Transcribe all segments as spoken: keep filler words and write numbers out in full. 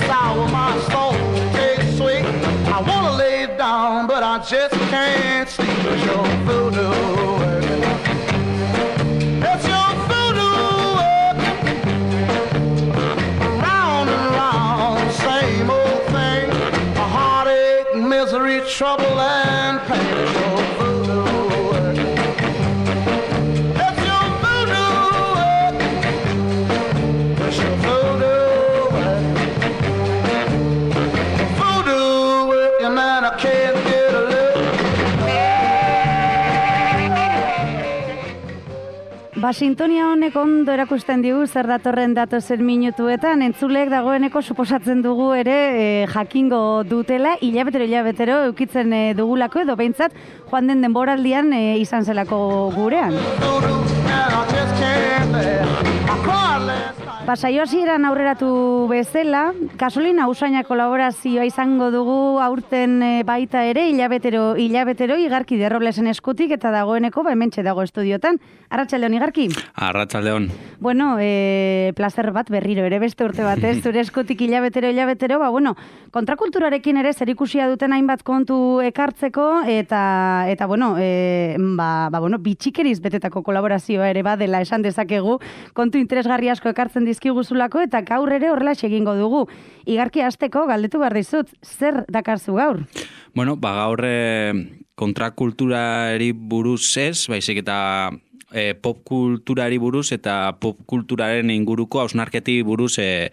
sour, my soul tastes sweet. I wanna lay down, but I just can't sleep. It's your voodoo working. It's your voodoo working. Round and round, same old thing. A heartache, misery, trouble, and pain. It's your voodoo working. It's your voodoo working. It's your voodoo working. Voodoo working, and I can't get a look. Ba, sintonia honek ondo erakusten digu zer datorren datozen minutuetan, entzulek dagoeneko suposatzen dugu ere e, jakingo dutela, hilabetero hilabetero eukitzen e, dugulako edo behintzat joan den denboraldian e, izan zelako gurean. Ba, saio hasieran aurreratu bezala, gasolina usaina kolaborazioa izango dugu aurten e, baita ere, hilabetero, hilabetero, Igarki de Roblesen eskutik eta dagoeneko, ba, hementxe dago estudiotan. Arratsaldeon, Igarki? Arratsaldeon. Bueno, e, plazer bat berriro ere beste urte batez, zure eskutik hilabetero, hilabetero, ba, bueno, kontrakulturarekin ere zerikusia duten hainbat kontu ekartzeko, eta, eta bueno, e, ba, ba, bueno, bitxikeriz betetako kolaborazioa ere badela esan dezakegu, kontu interesgarri asko ekartzen dizkiguzulako, eta gaur ere horrela egingo dugu. Igarki, hasteko galdetu behar dizut, zer dakarzu gaur? Bueno, ba, gaur e, kontrakulturari buruz ez, baizik eta e, popkulturari buruz eta popkulturaren inguruko hausnarketi buruz e,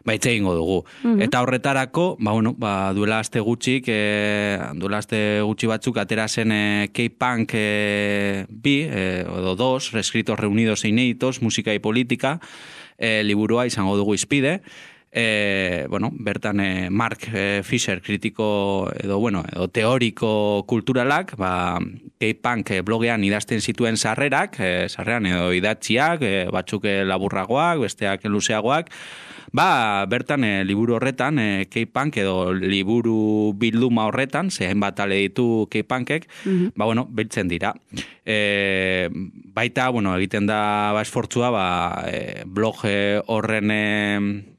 baitze egingo dugu. Uh-huh. Eta horretarako, ba, bueno, ba, duela aste gutxik, e, duela aste gutxi batzuk atera zen e, K-Punk e, bi, e, edo dos, Reescritos Reunidos e Inéditos, Música y Política, e, liburua izango dugu izpide. E, bueno, bertan e, Mark e, Fisher, kritiko edo, bueno, edo teoriko kulturalak, ba, K-Punk e, blogean idazten zituen sarrerak, e, sarreran edo idatziak, e, batzuk e, laburragoak, besteak luzeagoak, ba, bertan e, liburu horretan, e, K-Punk edo liburu bilduma horretan, zehen bat ale ditu K-Punkek, mm-hmm. ba, bueno, biltzen dira. E, baita, bueno, egiten da ba, esfortzua, ba, e, blog e, horren e,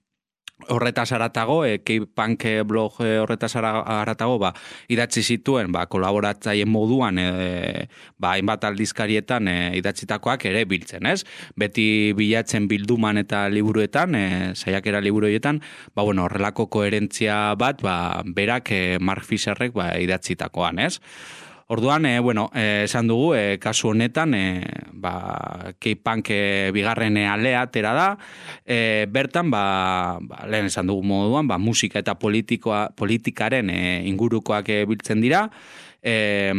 horretaz aratago, e, K-Punk blog e, horretaz aratago, ba, idatzi zituen, ba, kolaboratzaien moduan, e, ba, hainbat aldizkarietan e, idatzitakoak ere biltzen, ez? Beti bilatzen bilduman eta liburuetan, e, saiakera liburuetan, ba, bueno, horrelako koherentzia bat, ba, berak e, Mark Fisherrek ba, idatzitakoan, ez? Orduan, e, bueno, e, esan dugu, e, kasu honetan, e, ba, K-Punk e, bigarren alea atera da, e, bertan, ba, ba, lehen esan dugu moduan, ba, musika eta politikoa, politikaren e, ingurukoak e, biltzen dira, e,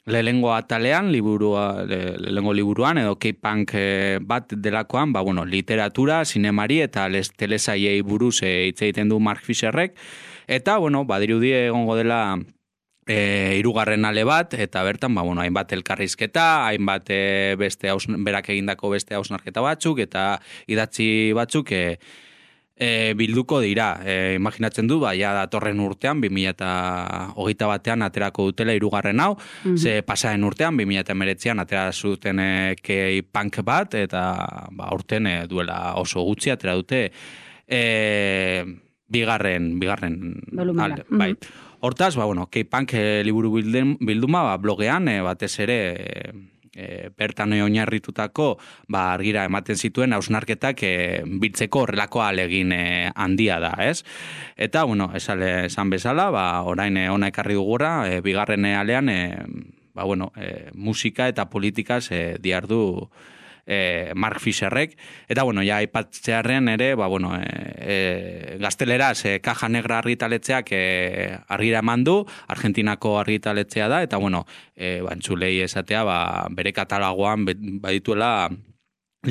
lehengo atalean, liburua, le, lehengo liburuan, edo K-Punk e, bat delakoan, ba, bueno, literatura, sinemari eta les, telesaiei buruz e, hitz egiten du Mark Fisherrek, eta, bueno, badirudi egongo dela E, hirugarren ale bat, eta bertan, ba, bueno, hainbat elkarrizketa, hainbat e, beste haus, berak egindako beste hausnarketa batzuk, eta idatzi batzuk e, e, bilduko dira. E, imaginatzen du, ba, ja datorren urtean, bi mila hogeita batean aterako dutela hirugarren hau, mm-hmm. ze pasaren urtean, bi mila hemeretzian atera zuten e, K-Punk bat, eta ba, urten e, duela oso gutxi atera dute e, bigarren, bigarren alde, mm-hmm. bai. Hortaz, ba, bueno, K-Punk e, liburu bilduma ba, blogean, e, batez ere e, e, bertan oinarritutako ba, argira ematen zituen hausnarketak e, biltzeko horrelako alegin e, handia da, ez? Eta, bueno, esan, esan bezala, ba, orain e, ona ekarri dugura, e, bigarren alean, e, ba, bueno, e, musika eta politikaz e, diardu E, Mark Fisherrek, eta bueno, ja aipatzearren ere, ba, bueno, e, e, gazteleraz e, Caja Negra argitaletxeak e, argira eman du, Argentinako argitaletzea da, eta bueno, e, ba, entzulei esatea, ba, bere katalogoan badituela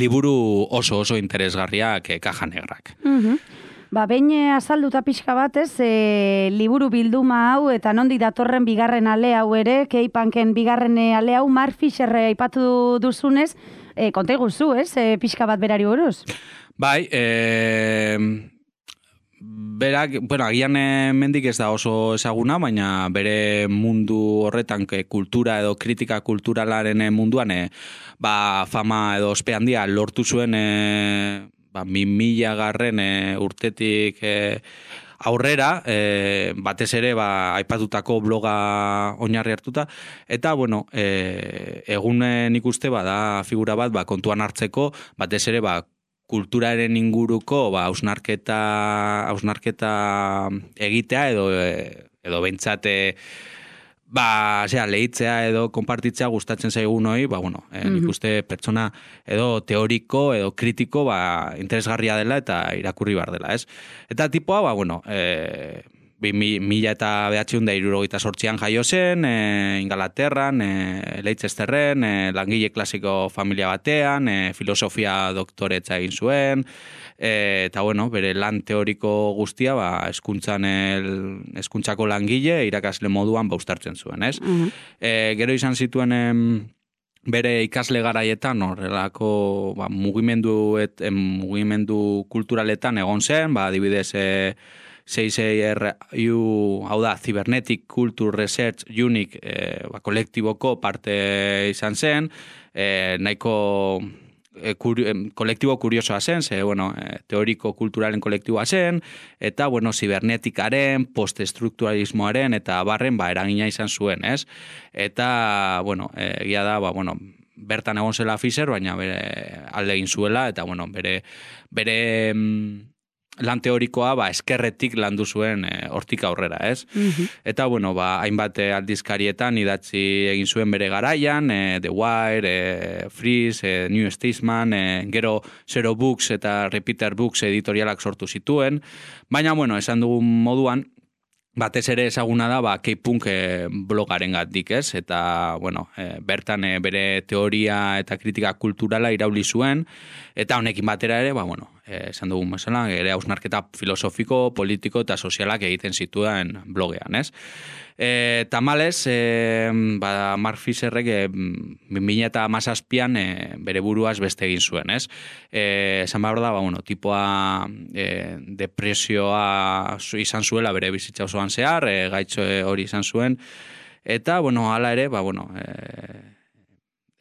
liburu oso oso interesgarriak e, Caja Negrak. Mm-hmm. Ba, behin azalduta pixka batez, e, liburu bilduma hau eta nondik datorren bigarren ale hau ere, K-Punken bigarren ale hau, Mark Fisher aipatu duzunez, e, konta iguzu, ez, e, pixka bat berari buruz? Bai, e, berak, bueno, agian mendik ez da oso ezaguna, baina bere mundu horretan, ke, kultura edo kritika kulturalaren munduan, e, ba, fama edo ospe handia lortu zuen e, ba, mila garren e, urtetik e, aurrera, e, batez ere ba, aipatutako bloga oinarri hartuta, eta bueno, e, egunen ikuste ba, da figura bat ba, kontuan hartzeko, batez ere ba, kulturaren inguruko ba, hausnarketa, hausnarketa egitea edo, edo bentsate ba, zera, lehitzea edo konpartitzea gustatzen zaigun hori, ba, bueno, eh, nik uste pertsona edo teoriko edo kritiko, ba, interesgarria dela eta irakurri bar dela, ez? Eta tipoa, ba, bueno, eh, mila eta behatziehun da hirurogeita zortzian jaio zen, e, Ingalaterran, e, Leicesterren, e, langile klasiko familia batean, e, filosofia doktoretza egin zuen, e, eta bueno, bere lan teoriko guztia, ba, eskuntzan el, eskuntzako langile, irakasle moduan ba uztartzen zuen, ez? Uh-huh. E, gero izan zituen em, bere ikasle garaietan horrelako ba, mugimendu, et, em, mugimendu kulturaletan egon zen, ba, adibidez, e, C C R U, hau da, Cybernetic Culture Research Unit e, ba, kolektiboko parte izan zen, e, nahiko e, kuri, e, kolektibo kuriosoa zen, ze, bueno, e, teoriko kulturalen kolektiboa zen, eta, bueno, zibernetikaren, postestrukturalismoaren, eta barren, ba, eragina izan zuen, ez? Eta, bueno, egia da, ba, bueno, bertan egon zela Fisher, baina bere alde egin zuela, eta, bueno, bere, bere, lan teorikoa ba, eskerretik landu zuen e, hortik aurrera, ez? Mm-hmm. Eta, bueno, ba, hainbat aldizkarietan idatzi egin zuen bere garaian, e, The Wire, e, Freeze, e, New Statesman, e, gero Zero Books eta Repeater Books editorialak sortu zituen, baina, bueno, esan dugun moduan, batez ere ezaguna da, ba, K-Punk e, blogaren gatik, ez? Eta, bueno, e, bertan e, bere teoria eta kritika kulturala irauli zuen, eta honekin batera ere, ba, bueno, e, esan dugun bezala, ere hausnarketa filosofiko, politiko eta sozialak egiten zituen blogean, ez? E, tamales, e, ba, Mark Fisherrek e, bi mila hamazazpian e, bere buruaz beste egin zuen, ez? E, esan behar da, ba, bueno, tipoa e, depresioa izan zuela bere bizitza osoan zehar, e, gaitxo hori izan zuen, eta, bueno, hala ere, ba, bueno, e,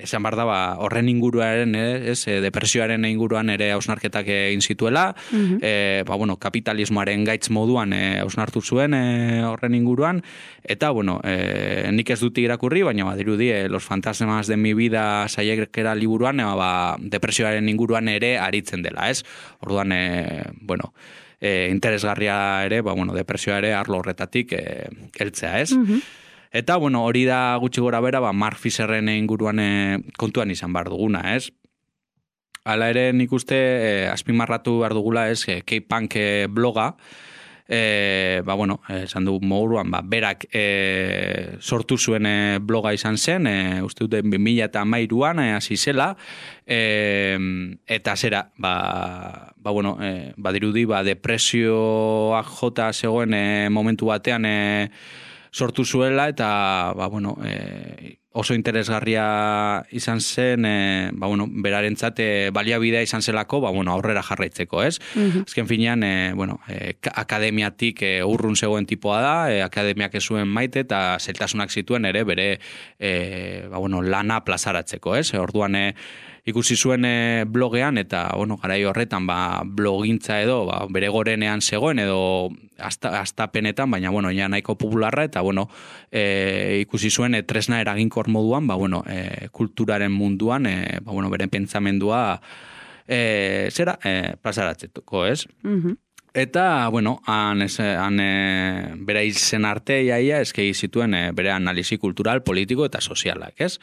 esan behar da, ba, horren inguruaren, ez, depresioaren inguruan ere hausnarketak egin zituela, uh-huh. e, ba, bueno, kapitalismoaren gaitz moduan hausnartu zuen e, horren inguruan, eta, bueno, e, nik ez dut irakurri, baina badirudi, e, Los fantasmas de mi vida saiekera liburuan, e, ba, depresioaren inguruan ere aritzen dela, ez? Orduan, e, bueno, e, interesgarria ere, ba, bueno, depresioa ere arlo horretatik e, heltzea, ez? Uh-huh. Eta, bueno, hori da gutxi gora bera, ba, Mark Fisherren inguruan e, kontuan izan behar duguna, ez? Hala ere nik uste e, azpimarratu behar dugula, ez, e, K-Punk e, bloga, e, ba, bueno, esan dugu moguruan, ba, berak e, sortu zuen e, bloga izan zen, e, uste dute bi mila hamairuan e, hasi zela, e, eta zera, ba, ba, bueno, e, badirudi, ba, depresioak jota zegoen e, momentu batean e, sortu zuela, eta, ba, bueno, e, oso interesgarria izan zen, e, ba, bueno, berarentzat e, baliabidea izan zelako, ba, bueno, aurrera jarraitzeko, ez? Uh-huh. Azken finean, e, bueno, e, akademiatik e, urrun zegoen tipoa da, e, akademiak ez zuen maite, eta zeltasunak zituen ere bere, e, ba, bueno, lana plazaratzeko, ez? E, orduan, e, ikusi zuen e, blogean, eta, bueno, garai horretan, ba, blogintza edo, ba, bere gorenean zegoen, edo astapenetan, baina, bueno, ja nahiko popularra, eta, bueno, e, ikusi zuen e, tresna eraginkor moduan, ba, bueno, e, kulturaren munduan, e, ba, bueno, beren pentsamendua, e, zera, e, plazaratzeko, ez? Mhm. Eta, bueno, han, ez, han e, bere izen arte iaia, eskegi zituen e, bere analisi kultural, politiko eta sozialak, ez?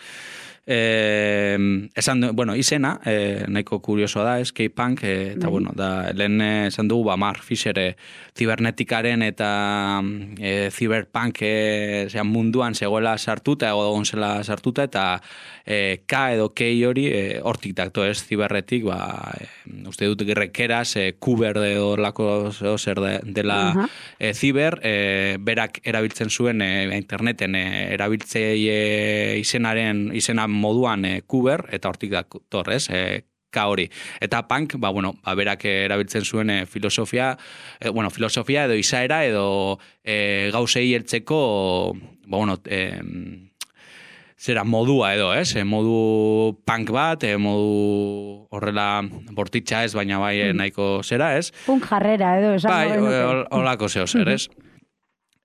Eh, esan, bueno, izena, eh, nahiko kuriosoa da, ez, K-Punk, eh, eta, bueno, da, lehen esan dugu, ba, Mark Fisher, eh, zibernetikaren eta eh, ziberpunk eh, munduan zegoela sartuta, egon zela sartuta, eta eh, K edo K hori eh, hortik dakto, ez, ziberretik, ba, eh, uste dut gerrekeraz, eh, kuber edo lako zer de, dela uh-huh. eh, ziber, eh, berak erabiltzen zuen eh, interneten eh, erabiltzeie izenaren, izena moduan e, kuber, eta hortik da torrez, e, K hori. Eta punk, ba, bueno, ba, berak erabiltzen zuen e, filosofia, e, bueno, filosofia edo izaera, edo e, gauzei heltzeko, ba, bueno, e, zera modua edo, ez? E, modu punk bat, e, modu horrela bortitza ez, baina bai mm. nahiko zera, ez? Punk jarrera edo, esan bai, holako zeo zer, ez?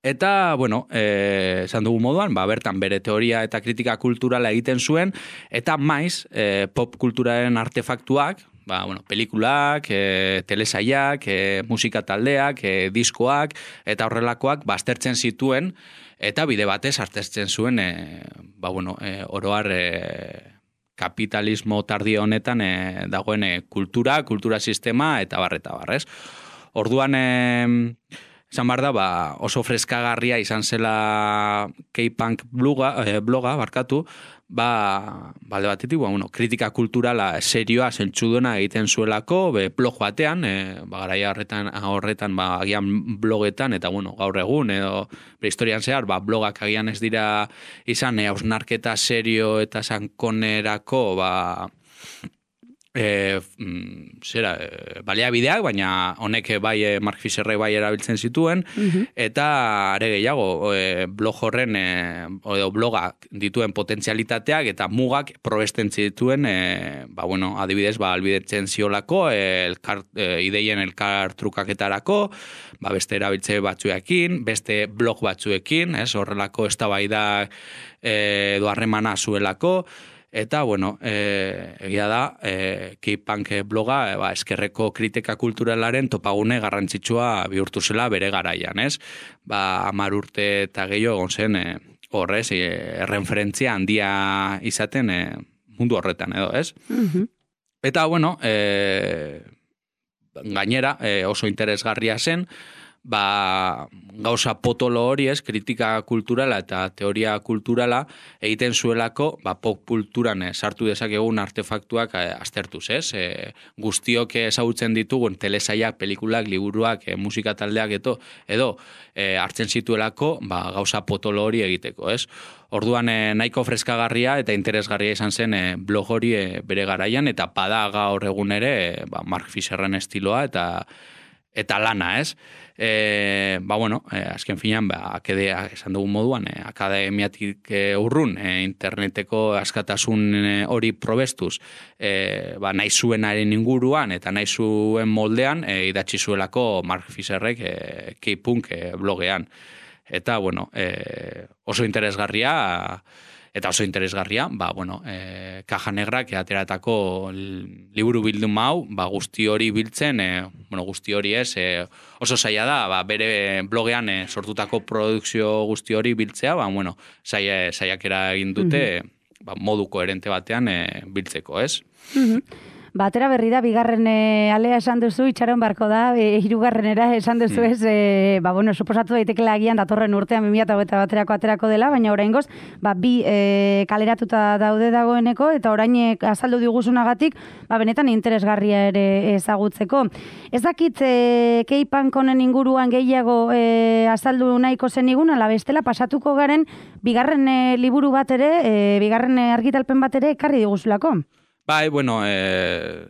Eta, bueno, eh, esan dugu moduan, ba, bertan bere teoria eta kritika kulturala egiten zuen, eta maiz, eh, pop kulturaren artefaktuak, ba, bueno, pelikulak, e, telesaiak, e, musika taldeak, e, diskoak, eta horrelakoak baztertzen zituen, eta bide batez aztertzen zuen, e, ba, bueno, e, oroar e, kapitalismo tardio honetan e, dagoen e, kultura, kultura sistema, eta barreta barrez. Orduan, e, esan behar da, ba, oso freskagarria izan zela K-Punk bloga, eh, bloga barkatu, ba, balde batetik, ba, bueno, kritika kulturala serioa zentsuduna egiten zuelako, be, blog batean, e, ba, garaia horretan, horretan ba, agian blogetan, eta bueno, gaur egun, edo prehistorian zehar, ba, blogak agian ez dira izan, e, hausnarketa serio eta sankonerako, ba, E, zera, e, baliabideak, baina honek bai e, Mark Fisherrek bai erabiltzen zituen, uh-huh. eta are gehiago e, blog horren e, edo blogak dituen potentzialitateak eta mugak probesten zituen, e, ba, bueno, adibidez, ba, albidetzen ziolako, e, elkar, e, ideien elkar trukaketarako, ba, beste erabiltze batzuekin, beste blog batzuekin, ez, horrelako eztabaidak e, edo harremana zuelako. Eta, bueno, e, egia da, e, K-Punk bloga, e, ba, eskerreko kritika kulturalaren topagune garrantzitsua bihurtu zela bere garaian, ez? Ba, hamar urte eta gehiago egon zen, e, horrez, e, erreferentzia handia izaten e, mundu horretan, edo, ez? Mm-hmm. Eta, bueno, e, gainera, e, oso interesgarria zen, ba, gauza potolo hori ez, kritika kulturala eta teoria kulturala egiten zuelako, ba, pop kulturan eh, sartu dezakegun artefaktuak eh, aztertuz, ez? E, guztiok ezagutzen ditugun telesaiak, pelikulak, liburuak, e, musika taldeak eto, edo e, hartzen zituelako, ba, gauza potolo hori egiteko, ez? Orduan e, nahiko freskagarria eta interesgarria izan zen e, blog hori e, bere garaian, eta bada gaur egun ere, e, ba, Mark Fisherren estiloa eta eta lana, ez? E, ba, bueno, e, azken finan, ba, akedea, esan dugun moduan, e, akademiatik e, urrun, e, interneteko askatasun e, hori probestuz, e, ba, nahi zuenaren inguruan, eta nahi zuen moldean, e, idatzi zuelako Mark Fisherrek e, K-Punk e, blogean. Eta, bueno, e, oso interesgarria, eta oso interesgarria, ba, bueno, e, Kaja Negrak ateratako liburu bildum hau, ba, guzti hori biltzen, e, bueno, guzti hori ez, e, oso zaila da, ba, bere blogean e, sortutako produkzio guzti hori biltzea, ba, bueno, zaila, zailakera egin dute, mm-hmm. ba, modu koherente batean e, biltzeko, ez? Mm-hmm. Batera berri da, bigarren e, alea esan duzu, itxaron barko da, e, hirugarrenera esan duzu ez, e, ba, bueno, suposatu daitekela agian datorren urtean bi mila hogeita baterako aterako dela, baina oraingoz, ba, bi e, kaleratuta daude dagoeneko, eta orain e, azaldu diguzunagatik, ba, benetan interesgarria ere ezagutzeko. Ez dakit, e, K-Punk honen inguruan gehiago e, azaldu nahiko zenigun, ala bestela pasatuko garen, bigarren e, liburu bat ere, e, bigarren e, argitalpen bat ere ekarri diguzulako. Bai, bueno, eh,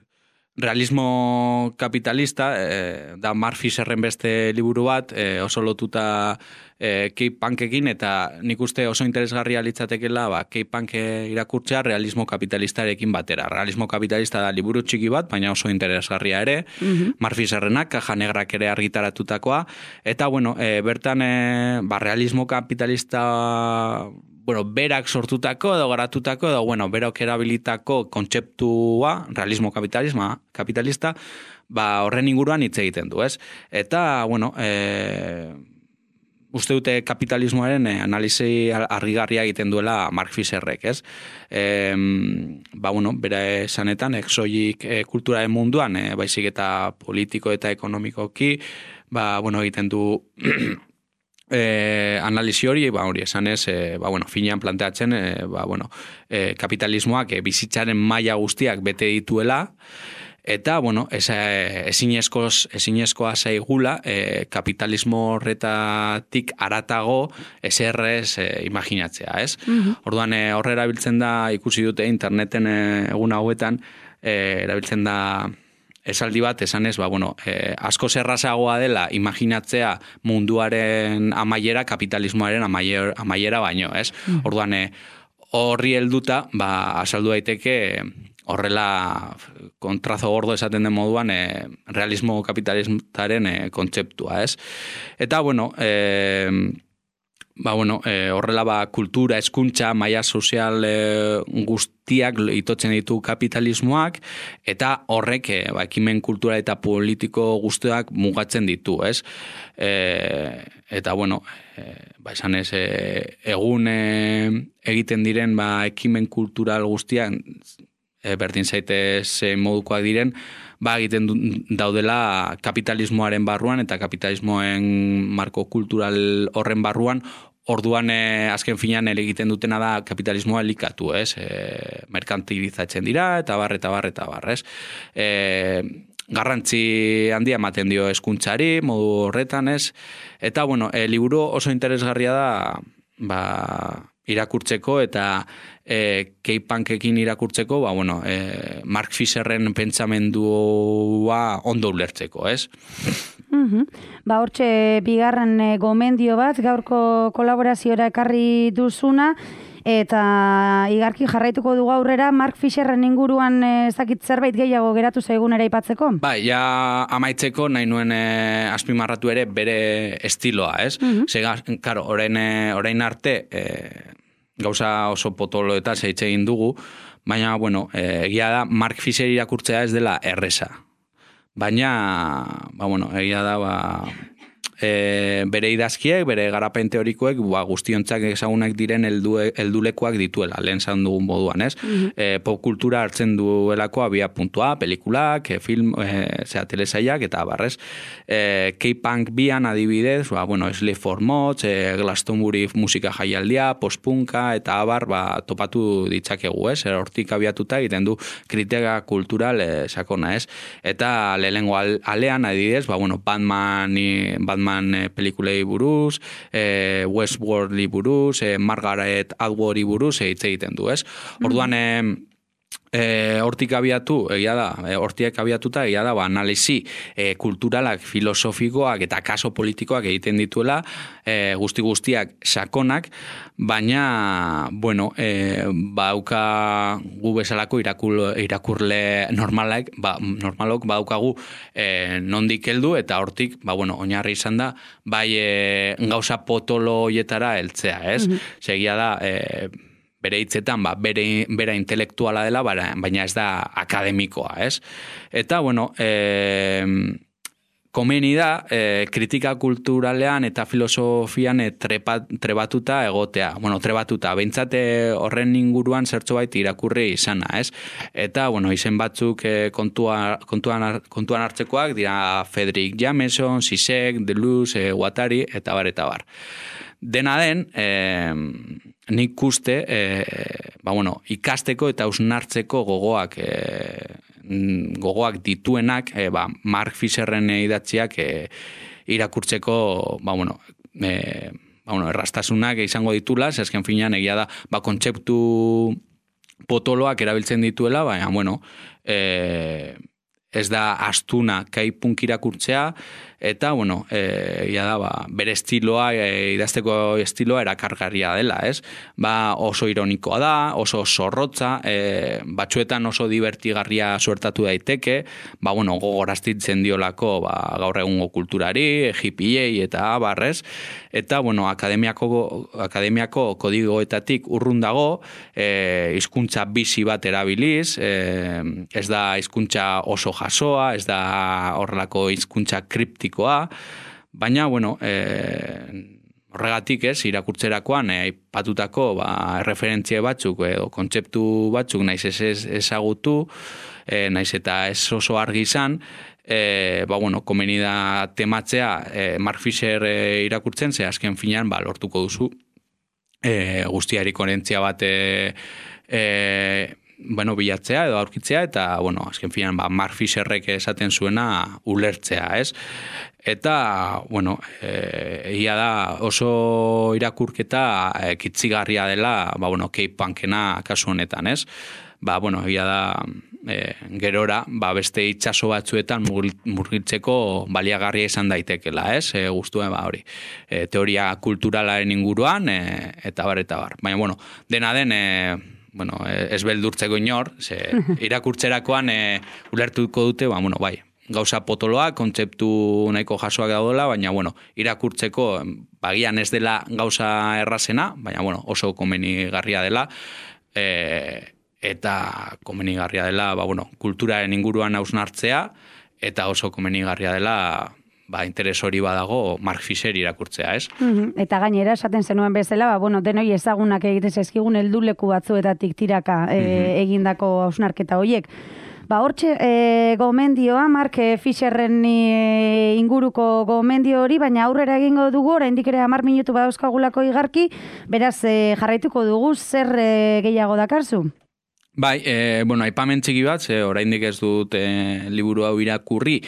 realismo kapitalista, eh, da Mark Fisherren beste liburu bat, eh, oso lotuta eh, K-Punkekin, eta nik uste oso interesgarria litzatekela, ba, K-Punk irakurtzea realismo kapitalistarekin batera. Realismo kapitalista da liburu txiki bat, baina oso interesgarria ere, mm-hmm. Mark Fisherrenak, Kaja Negrak ere argitaratutakoa, eta, bueno, eh, bertan, eh, ba, realismo kapitalista... bueno, berak sortutako edo garatutako edo, bueno, berak erabilitako kontzeptua, realismo kapitalisma, kapitalista, ba, horren inguruan hitz egiten du, ez? Eta, bueno, e, uste dute kapitalismoaren e, analizi argigarria egiten duela Mark Fisherrek, ez? E, ba, bueno, bera esanetan, exoik e, kulturaren munduan, e, baizik eta politiko eta ekonomikoki, ba, bueno, egiten du... Eh, analizi hori, ba, hori esan ez, eh, ba, bueno, finean planteatzen, eh, ba, bueno, eh, kapitalismoak eh, bizitzaren maila guztiak bete dituela, eta, bueno, ezinezkoz, ezinezkoa zaigula, eh, kapitalismo horretatik aratago eserrez eh, imaginatzea, ez? Mm-hmm. Orduan, eh, horre erabiltzen da, ikusi dute interneten eh, egun hauetan, eh, erabiltzen da... esaldi bat, esan ez, ba, bueno, eh, asko zerrazagoa dela imaginatzea munduaren amaiera, kapitalismoaren amaiera, amaiera baino, ez? Mm. Orduan, eh, horri helduta, ba, azaldu daiteke horrela kontrazo gordo esaten den moduan e, realismo kapitalismaren e, kontzeptua, ez? Eta, bueno, e, ba, bueno, e, horrela ba, kultura, hezkuntza, maila sozial e, guztiak itotzen ditu kapitalismoak, eta horrek e, ba, ekimen kultura eta politiko guztiak mugatzen ditu, ez? E, eta, bueno, e, ba, esan ez, e, egun e, egiten diren ba, ekimen kultural guztiak, e, berdin zaitez e, modukoak diren, ba, egiten daudela kapitalismoaren barruan eta kapitalismoen marko kultural horren barruan, orduan e, azken finean egiten dutena da kapitalismoa elikatu, ez? E, merkantilizatzen dira, eta bar, eta bar, eta bar, ez? E, garrantzi handia ematen dio hezkuntzari modu horretan, ez? Eta, bueno, e, liburu oso interesgarria da, ba, irakurtzeko eta e, K-punkekin irakurtzeko, ba, bueno, e, Mark Fisherren pentsamendua ondo ulertzeko, ez? Mm-hmm. Ba, hortxe bigarren e, gomendio bat, gaurko kolaboraziora ekarri duzuna, eta igarki jarraituko dugu aurrera, Mark Fisherren inguruan ez dakit zerbait gehiago geratu zaigun ere aipatzeko? Ba, ja amaitzeko nahi nuen e, azpimarratu ere bere estiloa, ez? Mm-hmm. Zega, karo, orain, e, orain arte e, gauza oso potolo eta zeitze egin dugu, baina, bueno, e, egia da Mark Fisher irakurtzea ez dela erresa. Baina, ba, bueno, egia da, ba, e, bere idazkiek, bere garapen teorikoek, ba, guztiontzak ezagunak diren heldulekoak dituela, lehen zan dugun moduan, ez? Mm-hmm. E, popkultura hartzen duelako abia puntua, pelikulak, e, film, e, zera, telesaiak, eta barrez, e, K-punk bian adibidez, ba, bueno, Slave for Mods, e, Glastonbury musika jaialdia, postpunka, eta abar, ba, topatu ditzakegu, ez? E, hortik abiatuta egiten du kritika kultural e, sakona, ez? Eta lehenengo alean adibidez, ba, bueno, Batman, Batman pelikulei buruz, e, Westworldli buruz, e, Margaret Atwoodi buruz hitz egiten du, ez? Orduan, e, e, hortik abiatu, egia da, e, hortiek abiatuta, egia da, ba, analisi e, kulturalak, filosofikoak eta kaso politikoak egiten dituela, e, guzti guztiak sakonak, baina, bueno, e, bauka gu bezalako irakul, irakurle normalak, ba, normalok badaukagu e, nondik heldu eta hortik, ba, bueno, oinarri izan da, bai e, gauza potolo hoietara heltzea, ez? Mm-hmm. Segia da, e, bere hitzetan, ba, bere, bera intelektuala dela, baina ez da akademikoa, ez? Eta, bueno, e, komeni da, e, kritika kulturalean eta filosofian e, trepa, trebatuta egotea. Bueno, trebatuta, behintzate horren inguruan zertxo bait irakurri izana, ez? Eta, bueno, izen batzuk e, kontua, kontuan, kontuan hartzekoak, dira Frederick Jameson, Zizek, Deleuze, e, Guattari, eta bar, eta bar. Dena den, e, nik uste, e, ba, bueno, ikasteko eta hausnartzeko gogoak e, gogoak dituenak, e, ba, Mark Fisherren idatziak e, irakurtzeko, ba, bueno, e, ba, bueno, errastasunak izango ditula, zezken finean egia da, ba, kontzeptu potoloak erabiltzen dituela, baina, bueno, e, ez da astuna K-punk irakurtzea, eta, bueno, e, ia da, ba, bere estiloa, e, idazteko estiloa erakargarria dela, ez? Ba, oso ironikoa da, oso zorrotza, e, batzuetan oso divertigarria suertatu daiteke, ba, bueno, gogoraztitzen diolako, ba, gaur egungo kulturari, hippiei eta barrez, eta, bueno, akademiako, akademiako kodigoetatik urrun dago, e, hizkuntza bizi bat erabiliz, e, ez da hizkuntza oso jasoa, ez da horrelako hizkuntza kriptiko, baina, bueno, e, horregatik ez, irakurtzerakoan aipatutako e, ba, referentzia batzuk edo kontzeptu batzuk naiz ez, ez ezagutu, e, naiz eta ez oso argi izan, e, ba, bueno, komeni da tematzea e, Mark Fisher e, irakurtzen, ze azken finean ba, lortuko duzu e, guztiari koherentzia bat e, e, bueno, bilatzea edo aurkitzea, eta, bueno, azken finean, ba, Mark Fisherrek esaten zuena ulertzea, ez? Eta, bueno, e, ia da oso irakurketa e, kitzigarria dela, ba, bueno, K-punkena kasu honetan, ez? Ba, bueno, ia da e, gerora, ba, beste itsaso batzuetan murgiltzeko baliagarria izan daitekela, ez? E, guztuen, ba, hori, e, teoria kulturalaren inguruan, e, eta bar, eta bar. Baina, bueno, dena den, e, bueno, ez beldurtzeko inor, ze irakurtzerakoan e, ulertuko dute, ba, bueno, bai, gauza potoloa, kontzeptu nahiko jasoak daudela, baina, bueno, irakurtzeko bagian ez dela gauza errazena, baina, bueno, oso komenigarria dela, e, eta komenigarria dela, ba, bueno, kulturaren inguruan hausnartzea, eta oso komenigarria dela, ba, interes hori badago Mark Fisher irakurtzea, ez? Mm-hmm. Eta gainera, esaten zenuen bezala, ba, bueno, denoi ezagunak egitez ezkigun helduleku batzuetatik tiraka e, mm-hmm. egindako hausnarketa horiek. Ba, hortxe, e, gomendioa, Mark Fisherren e, inguruko gomendio hori, baina aurrera egingo dugu, oraindik ere hamar minutu badauzkagulako igarki, beraz, e, jarraituko dugu, zer e, gehiago dakarzu? Bai, e, bueno, aipamen txiki bat, ze oraindik ez dut e, liburu hau irakurri,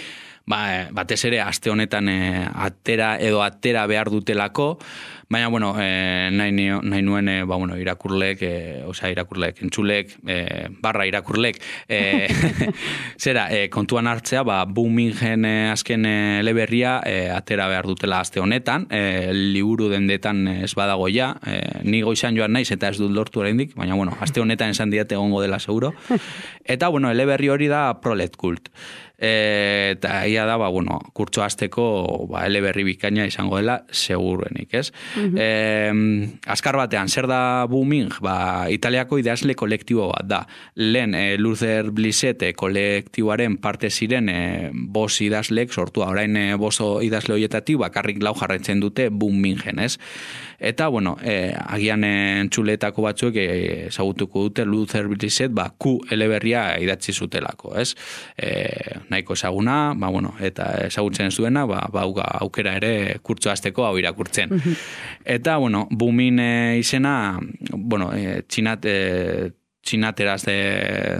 ba, batez ere aste honetan e, atera edo atera behar dutelako, baina, bueno, e, nahi, nahi nuen, e, ba, bueno, irakurlek, e, osea, irakurlek, entzulek, e, barra irakurlek, e, zera, e, kontuan hartzea, ba, Boomingen e, azken e, eleberria e, atera behar dutela aste honetan, e, liburu dendetan ez badago ja, e, ni goizan joan naiz eta ez dut lortu oraindik, baina, bueno, aste honetan esan diate egongo dela seguro, eta, bueno, eleberri hori da Prolet Kult. E, eta ia da, ba, bueno, kurtso hasteko ba, eleberri bikaina izango dela seguruenik, ez? Mm-hmm. E, azkar batean, zer da Booming? Ba, Italiako idazle kolektibo bat da. Lehen, e, Luther Blissett kolektiboaren parte ziren e, bos idazlek sortua, orain e, boso idazle horietatik bakarrik lau jarraitzen dute Boomingen, ez? Eta, bueno, e, agian entzuletako batzuek ezagutuko dute Luther Blissett, ba, Q eleberria idatzi zutelako, ez? E, nahiko ezaguna, ba, bueno, eta ezagutzen ez duena, ba, ba, aukera ere kurtso hasteko hau irakurtzen. Eta, bueno, Booming e, izena, bueno, e, txinat, e, txinateraz de,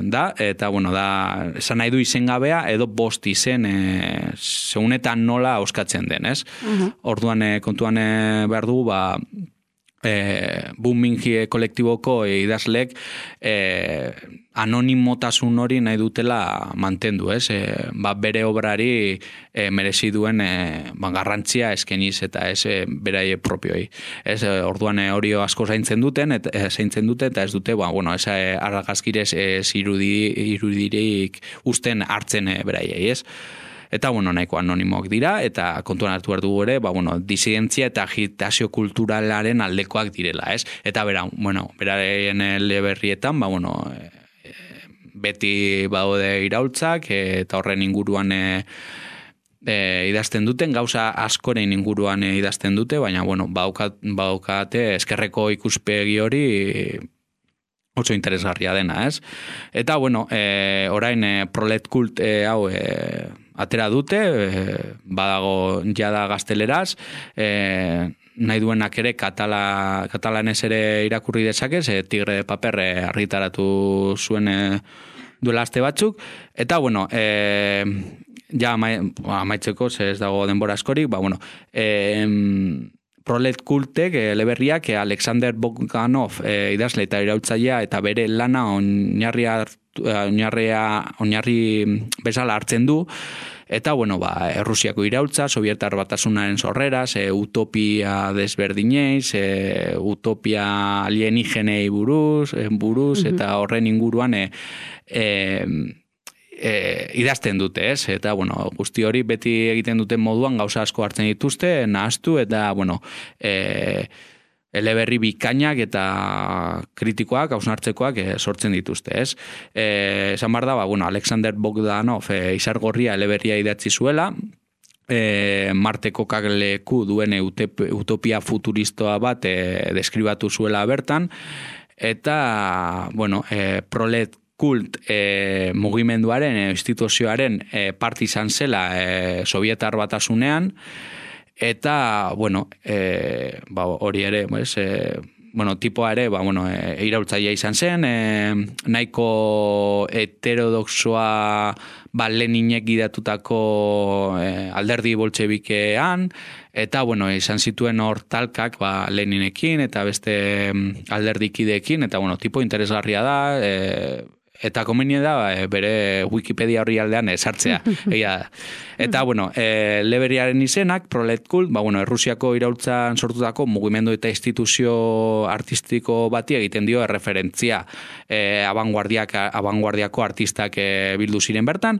da, eta, bueno, da, esan nahi du izengabea, edo bost izen, e, segunetan nola auskatzen den, ez? Uh-huh. Orduan, e, kontuan e, behar dugu, ba, E, Booming kolektiboko idazlek e, anonimotasun hori nahi dutela mantendu, ez? E, ba, bere obrari e, merezi duen e, ba, garrantzia eskeniz eta ez e, beraie propioi. Ez, e, orduan e, hori asko zaintzen duten, eta e, zaintzen dute eta ez dute, ba, bueno, ez e, argazkirez ez irudi, irudirik usten hartzen e, beraiei, ez? Eta, bueno, nahiko anonimoak dira, eta kontuan hartu behar dugu ere, ba, bueno, disidentzia eta agitazio kulturalaren aldekoak direla, ez? Eta, bera, bueno, beraren eleberrietan, ba, bueno, e, beti baude iraultzak, e, eta horren inguruan e, e, idazten duten, gauza askoren inguruan e, idazten dute, baina, bueno, baukat, baukate eskerreko ikuspegi hori oso interesgarria dena, ez? Eta, bueno, e, orain e, Prolet Kult e, hau e, atera dute, e, badago jada gazteleraz, e, nahi duenak ere katala, katalanez ere irakurri dezakez, e, Tigre de Paper e, argitaratu zuen e, duela aste batzuk, eta, bueno, e, ja amaitzeko, ez dago denbora askorik, ba, bueno, e, Prolet Kultek, eleberriak, Alexander Bogdanov e, idazle eta iraultzailea eta bere lana oinarria oinarria oinarri bezala hartzen du, eta, bueno, ba, Errusiako iraultza, Sovietar batasunaren sorreraz, e, utopia desberdineiz, e, utopia alienigenei buruz, e, buruz, mm-hmm. eta horren inguruan e, e, E, idazten dute, ez? Eta, bueno, guzti hori beti egiten duten moduan gauza asko hartzen dituzte, nahaztu, eta, bueno, e, eleberri bikainak eta kritikoak, hausnartzekoak e, sortzen dituzte, ez? E, esan behar da, ba, bueno, Alexander Bogdanov e, izargorria eleberria idatzi zuela, e, Marteko kakleku duen utopia futuristoa bat e, deskribatu zuela bertan, eta, bueno, e, Prolet Kult e, mugimenduaren, e, instituzioaren e, parte izan zela e, Sovietar batasunean, eta, bueno, e, ba, hori ere, pues, e, bueno, tipoa ere, ba, bueno, e, iraultzailea izan zen, e, nahiko heterodoxoa ba, Leninek gidatutako e, alderdi boltxebikean, eta, bueno, izan zituen hor talkak ba, Leninekin eta beste alderdikideekin, eta, bueno, tipo interesgarria da, e, eta komeni da e, bere Wikipedia horri aldean esartzea. Egia. Eta, bueno, e, Leberiaren izenak, Prolet Kult, ba, bueno, Errusiako iraultzan sortutako mugimendu eta instituzio artistiko bati egiten dio erreferentzia e, abanguardiak, abanguardiako artistak e, bildu ziren bertan,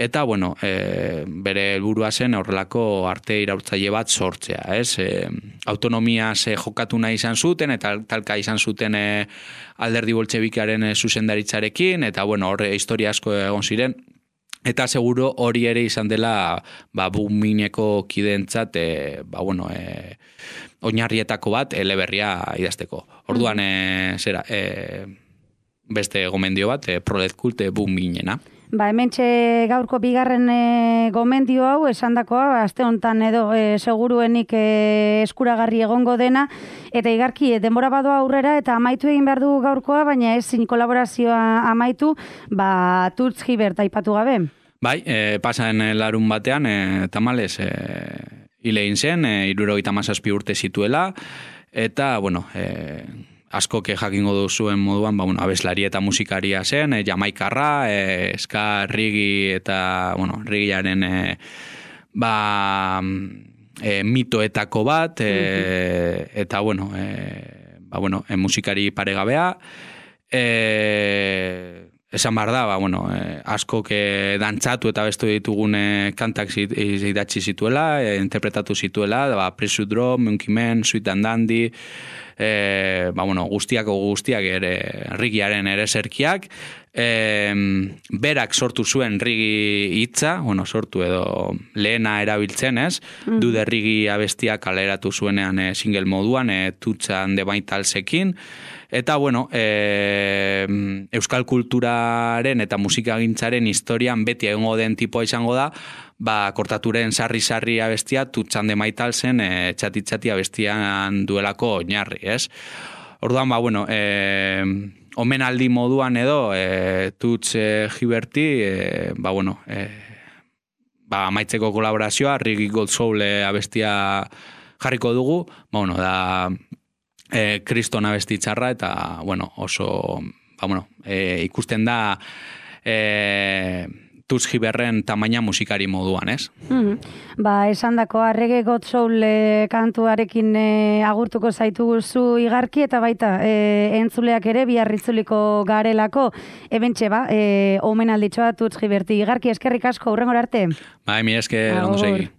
eta, bueno, e, bere helburua zen horrelako arte iraultzaile bat sortzea, ez? E, autonomia ze jokatu nahi izan zuten, eta talka izan zuten e, alderdi boltxebikaren e, zuzendaritzarekin, eta, bueno, horre historia asko egon ziren, eta seguro hori ere izan dela ba, bumineko kidentzat e, ba, bueno, e, oinarrietako bat eleberria idazteko. Orduan, e, zera, e, beste gomendio bat, e, Prolet Kult e, buminena. Ba, hementxe gaurko bigarren e, gomendio hau, esandakoa, aste hontan edo e, seguruenik e, eskuragarri egongo dena, eta igarki, e, denbora badoa aurrera, eta amaitu egin behar du gaurkoa, baina ezin kolaborazioa amaitu, ba, Tuts Gibert aipatu gabe. Bai, e, pasan larun batean, e, tamales, e, hile egin zen, e, hirurogeita hamazazpi urte zituela, eta, bueno, e, asko ke jakingo duzuen moduan, ba, bueno, abeslari eta musikaria zen, e, jamaikarra, e, ska, rigi eta, bueno, rigiaren e, ba, e, mitoetako bat, e, uh-huh. eta, bueno, e, ba, bueno, e, musikari paregabea, e, esan behar da, ba, bueno, e, asko ke dantzatu eta bestu ditugun e, kantak idatzi zituela, e, interpretatu zituela, ba, Pressure Drum, Monkey Man, Sweet and Dandy, E, ba, bueno, guztiako guztiak ere rigiaren ere zerkiak, e, berak sortu zuen rigi hitza, bueno, sortu edo lehena erabiltzen, ez? Mm. Du de rigi abestia kaleratu zuenean e, single moduan, e, Tutsan de Baitalsekin, eta, bueno, e, euskal kulturaren eta musikagintzaren historian beti egongo den tipoa izango da, ba, kortaturen sarri-sarri abestia, Tutsan de Maitalsen e, txati-txati abestian duelako oinarri, ez? Orduan, ba, bueno, e, omenaldi moduan edo, e, Tuts e, Giberti, e, ba, bueno, e, ba, amaitzeko kolaborazioa, Rigi Gold Soul e, abestia jarriko dugu, ba, bueno, da e, kriston abesti txarra, eta, bueno, oso, ba, bueno, e, ikusten da, e, Tuts Giberren tamaina musikari moduan, ez? Mm-hmm. Ba, esan dako, Reggae God Soul e, kantuarekin e, agurtuko zaitugu zu igarki, eta baita, e, entzuleak ere, biarritzuliko garelako, ebentxe, ba, e, omenalditxoa Tuts Giberti. Igarki, eskerrik asko, hurrengor arte. Ba, emi esker, ondo segi.